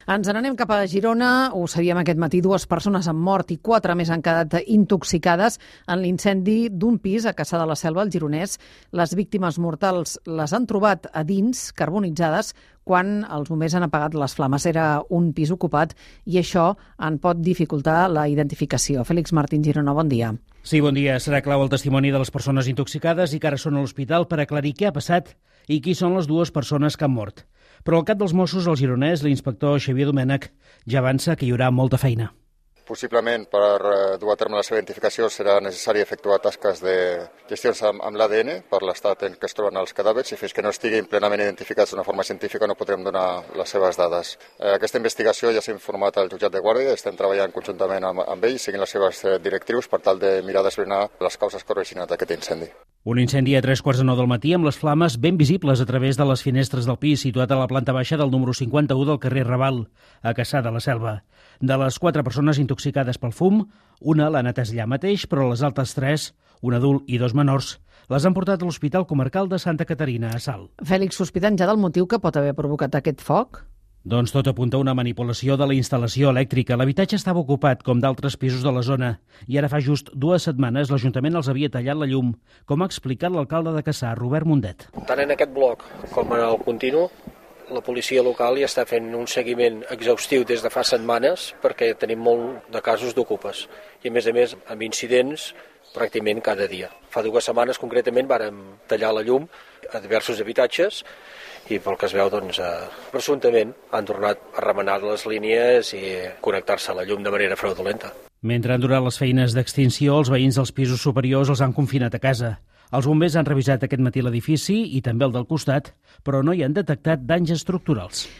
Ens n'anem cap a Girona. Ho sabíem aquest matí, 2 persones han mort i 4 més han quedat intoxicades en l'incendi d'un pis a Cassà de la Selva, al Gironès. Les víctimes mortals les han trobat a dins, carbonitzades, quan els bombers han apagat les flames. Era un pis ocupat i això en pot dificultar la identificació. Fèlix Martín, Girona, bon dia. Sí, bon dia. Serà clau el testimoni de les persones intoxicades i que ara són a l'hospital per aclarir què ha passat i qui són les 2 persones que han mort. Però el cap dels Mossos, al Gironès, l'inspector Xavier Domènech, ja avança que hi haurà molta feina. Possiblement, per dur a terme la seva identificació, serà necessari efectuar tasques de gestions amb l'ADN per l'estat en què es troben els cadàvers i fins que no estiguin plenament identificats d'una forma científica no podrem donar les seves dades. Aquesta investigació ja s'ha informat al jutjat de guàrdia, estem treballant conjuntament amb ells, seguint les seves directrius per tal de mirar d'esbrinar les causes que han originat aquest incendi. Un incendi a 3:45 del matí amb les flames ben visibles a través de les finestres del pis situat a la planta baixa del número 51 del carrer Raval, a Cassà de la Selva. De les 4 persones intoxicades pel fum, una l'han atès allà mateix, però les altres 3, un adult i 2 menors, les han portat a l'Hospital Comarcal de Santa Caterina, a Salt. Fèlix, sospiten ja del motiu que pot haver provocat aquest foc? Doncs tot apunta a una manipulació de la instal·lació elèctrica. L'habitatge estava ocupat, com d'altres pisos de la zona, i ara fa just 2 setmanes l'Ajuntament els havia tallat la llum, com ha explicat l'alcalde de Cassà, Robert Mundet. Tant en aquest bloc com en el continu, la policia local ja està fent un seguiment exhaustiu des de fa setmanes perquè tenim molt de casos d'ocupes i a més amb incidents pràcticament cada dia. Fa 2 setmanes concretament vàrem tallar la llum a diversos habitatges i pel que es veu, presumptament han tornat a remenar les línies i connectar-se a la llum de manera fraudulenta. Mentre han durat les feines d'extinció, els veïns dels pisos superiors els han confinat a casa. Els bombers han revisat aquest matí l'edifici i també el del costat, però no hi han detectat danys estructurals.